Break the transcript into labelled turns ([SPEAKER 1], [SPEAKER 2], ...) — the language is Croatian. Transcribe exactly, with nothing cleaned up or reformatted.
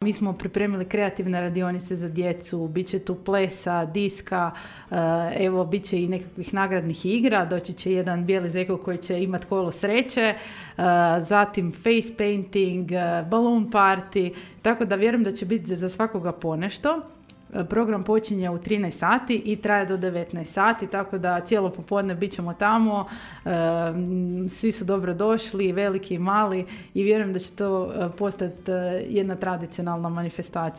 [SPEAKER 1] Mi smo pripremili kreativne radionice za djecu, bit će tu plesa, diska, evo bit će i nekakvih nagradnih igra, doći će jedan bijeli zeko koji će imati kolo sreće, zatim face painting, balloon party, tako da vjerujem da će biti za svakoga ponešto. Program počinje u trinaest sati i traje do devetnaest sati, tako da cijelo popodne bit ćemo tamo, svi su dobro došli, veliki i mali, i vjerujem da će to postati jedna tradicionalna manifestacija.